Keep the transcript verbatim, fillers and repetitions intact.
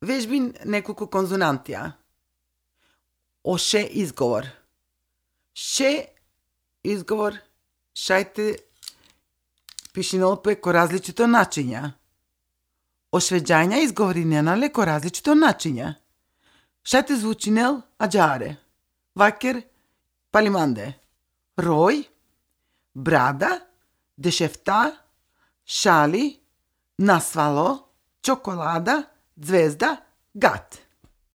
Vežbin nekoliko konzonantija. Oše izgovor. Še izgovor šajte pišinalo preko različito načinja. Ošveđanja izgovorinjena leko različito načinja. Šajte zvučinel ađare. Vaker palimande. Roj, brada, dešefta, šali, nasvalo, čokolada, zvezda, gat.